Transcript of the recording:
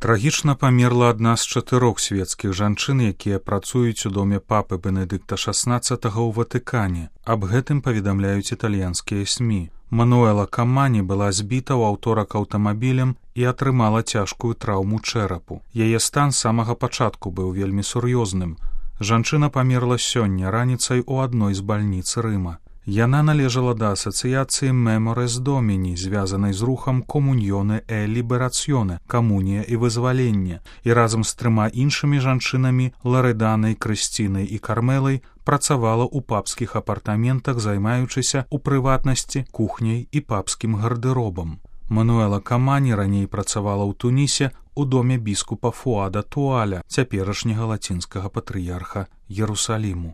Трагічна памерла адна з 4 свецкіх жанчын, якія працуюць у доме папы Бенедыкта XVI ў Ватыкане. Аб гэтым паведамляюць італьянскія СМІ. Мануэла Камані была збіта ў аўторак аўтамабілем і атрымала цяжкую траўму чэрапу. Яе стан з самага пачатку быў вельмі сур'ёзным. Жанчына памерла сёння раніцай у адной з бальніц Рыма. Яна належала да асацыяцыі Меморес Доміні, звязанай з рухам Комуньёне e Лібераціоне, камунія і вызваленне, і разам з 3 іншымі жанчынамі, Ларэданай, Крысцінай і Кармелай, працавала ў папскіх апартаментах, займаючыся, у прыватнасці, кухняй і папскім гардэробам. Мануэла Камані раней працавала ў Тунісе у доме біскупа Фуада Туаля, цяперашняга лацінскага патрыярха Ерусаліму.